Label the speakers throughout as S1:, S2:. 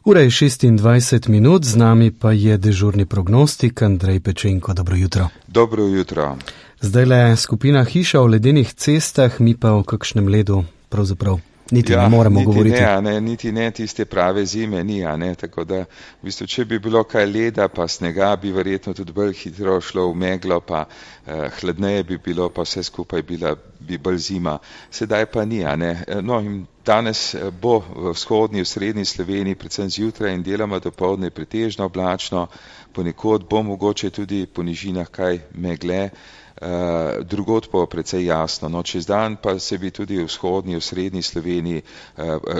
S1: Ura je 26 minut, z nami pa je dežurni prognostik Andrej Pečenko. Dobro jutro.
S2: Dobro jutro.
S1: Zdajle skupina Hiša o ledenih cestah, mi pa o kakšnem ledu pravzaprav niti ne moremo govoriti.
S2: Niti ne tiste prave zime ni, tako da v bistvu, če bi bilo kaj leda pa snega, bi verjetno tudi bolj hitro šlo v meglo, pa hladneje bi bilo, pa vse skupaj bi bolj zima. Sedaj pa ni, No, in danes bo v vzhodni, v srednji Sloveniji, predvsem zjutraj in deloma dopoldne pretežno oblačno, ponekod bo mogoče tudi po nižinah kaj megle, drugod pa precej jasno. No, čez dan pa se bi tudi v vzhodni, v srednji Sloveniji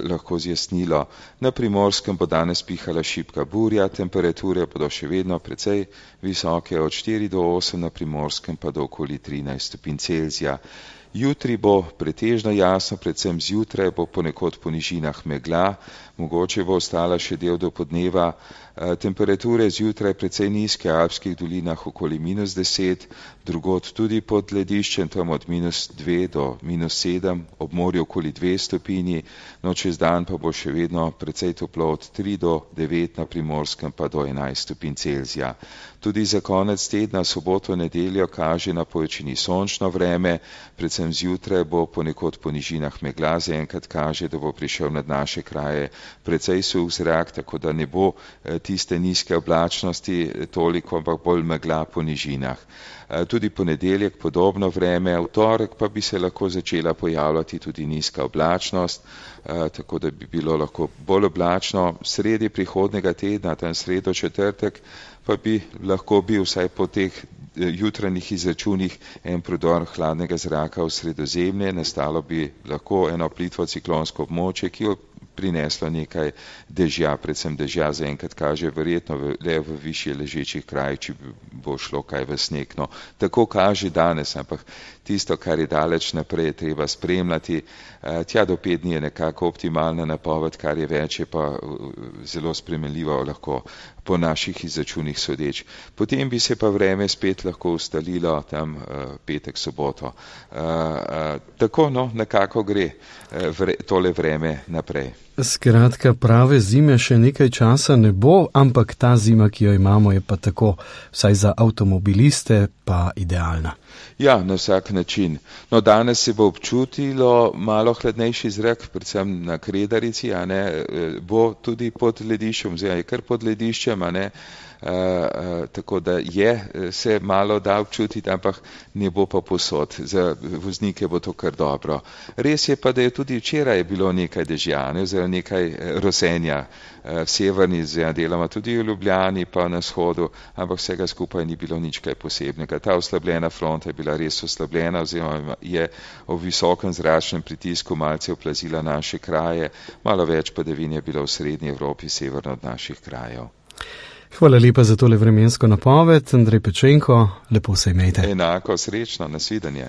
S2: lahko zjasnilo. Na Primorskem bo danes pihala šibka burja, temperature bodo še vedno precej visoke, od 4 do 8, na Primorskem pa do okoli 13 stopinj Celzija. Jutri bo pretežno jasno, predvsem zjutraj bo ponekod po nižinah megla, mogoče bo ostala še del do podneva. Temperature zjutraj precej nizke, v alpskih dolinah okoli -10, drugod tudi pod lediščem, tam od -2 do -7, ob morju okoli 2 stopinji, no čez dan pa bo še vedno precej toplo, od 3 do 9, na Primorskem pa do 11 stopinj Celzija. Tudi za konec tedna, soboto, nedeljo kaže na povečini sončno vreme, predvsem zjutraj bo ponekod po nižinah megla, zaenkrat kaže, da bo prišel nad naše kraje precej suh zrak, tako da ne bo tiste nizke oblačnosti toliko, ampak bolj megla po nižinah. Tudi ponedeljek podobno vreme, v torek pa bi se lahko začela pojavljati tudi nizka oblačnost, tako da bi bilo lahko bolj oblačno. Sredi prihodnega tedna, tam sredo, četrtek, pa bi lahko bil vsaj po teh jutranjih izračunih en prodor hladnega zraka v Sredozemlje, nastalo bi lahko eno plitvo ciklonsko območje, ki jo prineslo nekaj dežja, predvsem dežja zaenkrat kaže verjetno le v višje ležečih krajih, če bo šlo kaj v sneg. No, tako kaže danes, ampak tisto, kar je daleč naprej, je treba spremljati. Tja do 5 dni je nekako optimalna napoved, kar je več, je pa zelo spremenljivo lahko po naših izračunih sodeč. Potem bi se pa vreme spet lahko ustalilo tam petek, soboto. Tako, no, nekako gre tole vreme naprej.
S1: Skratka, prave zime še nekaj časa ne bo, ampak ta zima, ki jo imamo, je pa tako, vsaj za avtomobiliste, pa idealna.
S2: Ja, na vsak način. No, danes se bo občutilo malo hladnejši zrak, predvsem na Kredarici, bo tudi pod lediščem, oziroma je kar pod lediščem, tako da se malo da občutiti, ampak ne bo pa povsod. Za voznike bo to kar dobro. Res je pa, da je tudi včeraj bilo nekaj dežja, oziroma nekaj rosenja v severni, deloma tudi v Ljubljani, pa na vzhodu, ampak vsega skupaj ni bilo nič kaj posebnega. Ta oslabljena fronta je bila res oslabljena, oziroma je ob visokem zračnem pritisku malce oplazila naše kraje, malo več padavin je bilo v srednji Evropi, severno od naših krajev.
S1: Hvala lepa za tole vremensko napoved, Andrej Pečenko, lepo se imejte.
S2: Enako, srečno, nasvidenje.